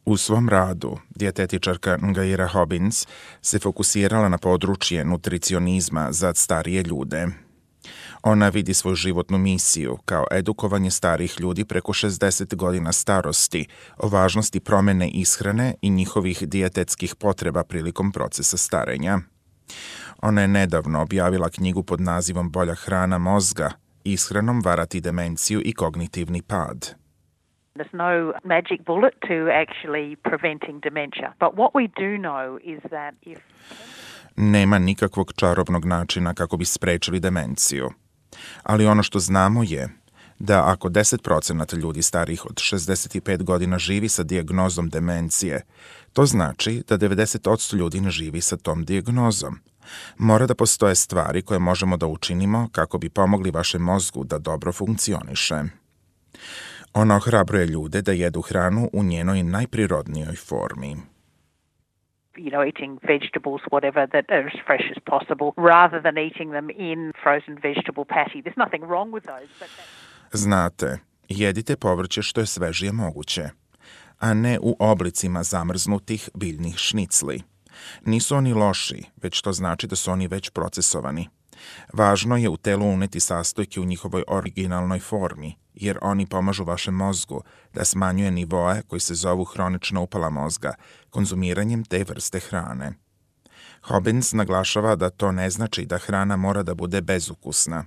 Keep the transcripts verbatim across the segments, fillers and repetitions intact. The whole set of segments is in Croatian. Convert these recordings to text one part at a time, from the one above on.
U svom radu, dijetetičarka Ngaira Hobbins se fokusirala na područje nutricionizma za starije ljude. Ona vidi svoju životnu misiju kao edukovanje starih ljudi preko šezdeset godina starosti o važnosti promjene ishrane i njihovih dijetetskih potreba prilikom procesa starenja. Ona je nedavno objavila knjigu pod nazivom Bolja hrana mozga, ishranom varati demenciju i kognitivni pad. There's no magic bullet to actually preventing dementia. But what we do know is that if... Nema nikakvog čarobnog načina kako bi sprečili demenciju. Ali ono što znamo je da ako deset procenata ljudi starijih od šezdeset pet godina živi sa dijagnozom demencije, to znači da devedeset posto ljudi ne živi sa tom dijagnozom. Mora da postoje stvari koje možemo da učinimo kako bi pomogli vašem mozgu da dobro funkcioniše. Ona ohrabruje ljude da jedu hranu u njenoj najprirodnijoj formi. You know, eating vegetables, whatever, that are as fresh as possible, rather than eating them in frozen vegetable patty. There's nothing wrong with those. But that... Znate, jedite povrće što je svežije moguće, a ne u oblicima zamrznutih biljnih šnicli. Nisu oni loši, već to znači da su oni već procesovani. Važno je u telu uneti sastojke u njihovoj originalnoj formi, jer oni pomažu vašem mozgu da smanjuje nivoe koji se zovu hronična upala mozga konzumiranjem te vrste hrane. Hobbins naglašava da to ne znači da hrana mora da bude bezukusna.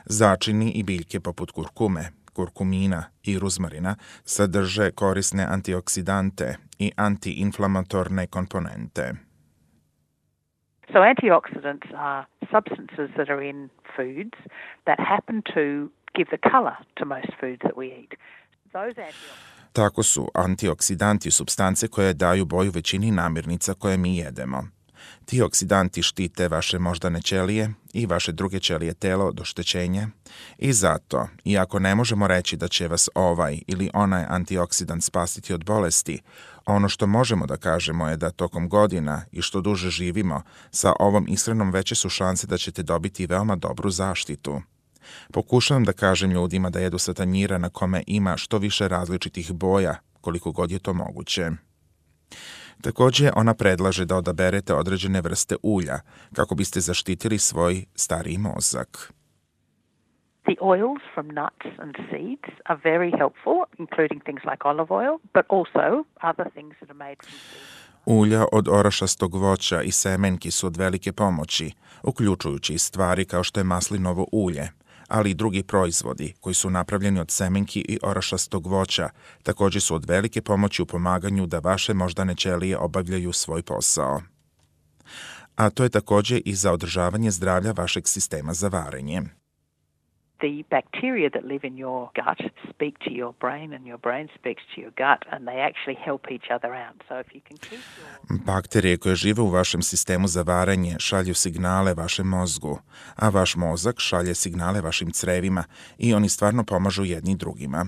Začini i biljke poput kurkume, kurkumina i ruzmarina sadrže korisne antioksidante i antiinflamatorne komponente. So antioxidants are substances that are in foods that happen to give the color to most foods that we eat. Those antioxidants... Tako su antioksidanti supstance koje daju boju većini namirnica koje mi jedemo. Ti oksidanti štite vaše moždane ćelije i vaše druge ćelije tela od oštećenja i zato, iako ne možemo reći da će vas ovaj ili onaj antioksidant spasiti od bolesti, ono što možemo da kažemo je da tokom godina i što duže živimo, sa ovom ishranom veće su šanse da ćete dobiti veoma dobru zaštitu. Pokušavam da kažem ljudima da jedu sa tanjira na kome ima što više različitih boja, koliko god je to moguće. Također, ona predlaže da odaberete određene vrste ulja kako biste zaštitili svoj stariji mozak. The oils from nuts and seeds are very helpful, including things like olive oil, but also other things that are made from seeds. Ulja od orašastog voća i semenki su od velike pomoći, uključujući i stvari kao što je maslinovo ulje, ali i drugi proizvodi koji su napravljeni od semenki i orašastog voća također su od velike pomoći u pomaganju da vaše moždane ćelije obavljaju svoj posao. A to je također i za održavanje zdravlja vašeg sistema za varenje. The bacteria that live in your gut speak to your brain and your brain speaks to your gut and they actually help each other out. So if you can keep your... Bakterije koje žive u vašem sistemu za varenje šalju signale vašem mozgu, a vaš mozak šalje signale vašim crevima i oni stvarno pomažu jedni drugima.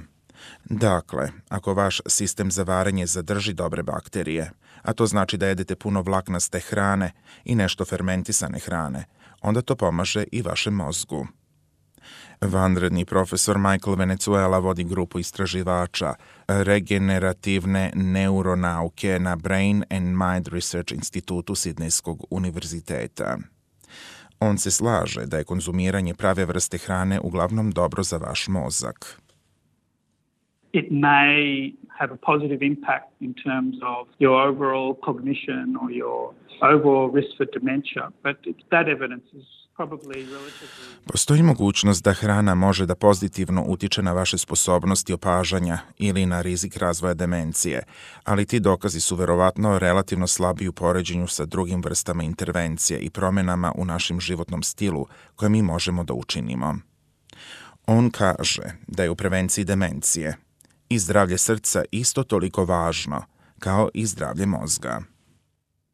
Dakle, ako vaš sistem za varenje zadrži dobre bakterije, a to znači da jedete puno vlaknaste hrane i nešto fermentisane hrane, onda to pomaže i vašem mozgu. Vanredni profesor Michael Venezuela vodi grupu istraživača regenerativne neuronauke na Brain and Mind Research institutu Sidnejskog univerziteta. On se slaže da je konzumiranje prave vrste hrane uglavnom dobro za vaš mozak. It may have a positive impact in terms of your overall cognition or your overall risk for dementia, but that evidence is Postoji mogućnost da hrana može da pozitivno utiče na vaše sposobnosti opažanja ili na rizik razvoja demencije, ali ti dokazi su verovatno relativno slabi u poređenju sa drugim vrstama intervencije i promjenama u našem životnom stilu koje mi možemo da učinimo. On kaže da je u prevenciji demencije i zdravlje srca isto toliko važno kao i zdravlje mozga.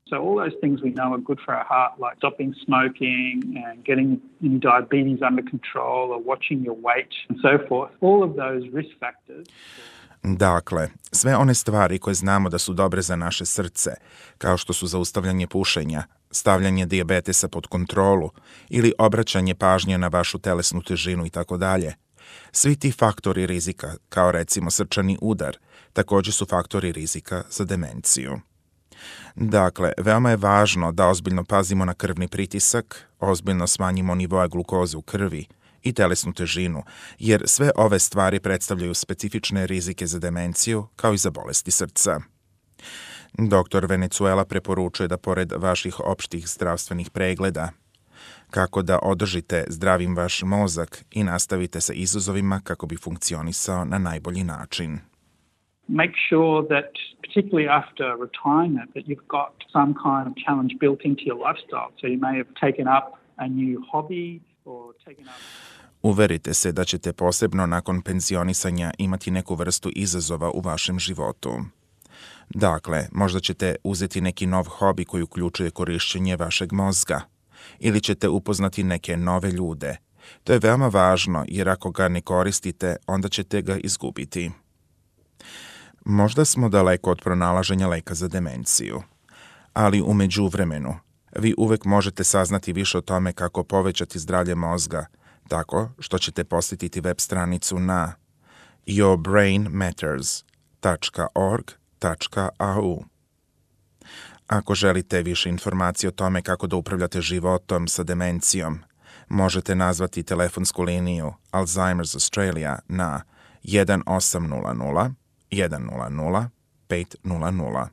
So all those things we know are good for our heart, like stopping smoking and getting diabetes under control or watching your weight and so forth. All of those risk factors. Dakle, sve one stvari koje znamo da su dobre za naše srce, kao što su zaustavljanje pušenja, stavljanje dijabetesa pod kontrolu ili obraćanje pažnje na vašu telesnu težinu i tako dalje. Svi ti faktori rizika, kao recimo srčani udar, također su faktori rizika za demenciju. Dakle, veoma je važno da ozbiljno pazimo na krvni pritisak, ozbiljno smanjimo nivoe glukoze u krvi i telesnu težinu, jer sve ove stvari predstavljaju specifične rizike za demenciju kao i za bolesti srca. Doktor Venezuela preporučuje da pored vaših opštih zdravstvenih pregleda, kako da održite zdravim vaš mozak i nastavite sa izazovima kako bi funkcionisao na najbolji način. Make sure that, particularly after retirement, that you've got some kind of challenge built into your lifestyle. So you may have taken up a new hobby or taken up... Uverite se da ćete posebno nakon penzionisanja imati neku vrstu izazova u vašem životu. Dakle, možda ćete uzeti neki nov hobi koji uključuje korišćenje vašeg mozga ili ćete upoznati neke nove ljude. To je veoma važno jer ako ga ne koristite, onda ćete ga izgubiti. Možda smo daleko od pronalaženja leka za demenciju, ali u međuvremenu vi uvek možete saznati više o tome kako povećati zdravlje mozga tako što ćete posjetiti web stranicu na your brain matters dot org dot a u. Ako želite više informacije o tome kako da upravljate životom sa demencijom, možete nazvati telefonsku liniju Alzheimer's Australia na jedan osam nula nula jedan nula nula pet nula nula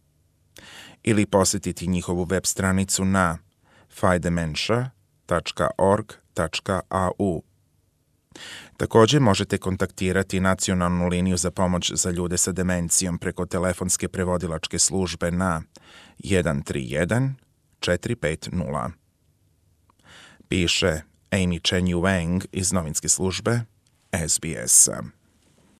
ili posjetiti njihovu web stranicu na fight dementia dot org dot a u. Također možete kontaktirati nacionalnu liniju za pomoć za ljude sa demencijom preko telefonske prevodilačke službe na jedan tri jedan četiri pet nula. Piše Amy Chen Wang iz novinske službe S B S.